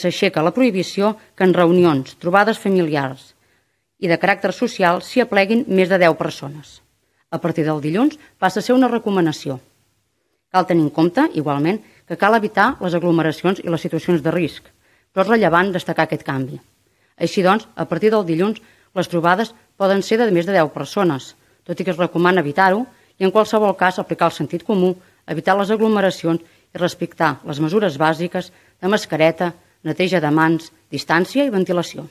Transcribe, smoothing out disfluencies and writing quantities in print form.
s'aixeca la prohibició que en reunions, trobades familiars i de caràcter social s'hi apleguin més de 10 persones. A partir del dilluns passa a ser una recomanació. Cal tenir en compte, igualment, que cal evitar les aglomeracions i les situacions de risc, però és rellevant destacar aquest canvi. Així doncs, a partir del dilluns, les trobades poden ser de més de 10 persones, tot i que es recomana evitar-ho i en qualsevol cas aplicar el sentit comú, evitar les aglomeracions i respectar les mesures bàsiques de mascareta, neteja de mans, distància i ventilació.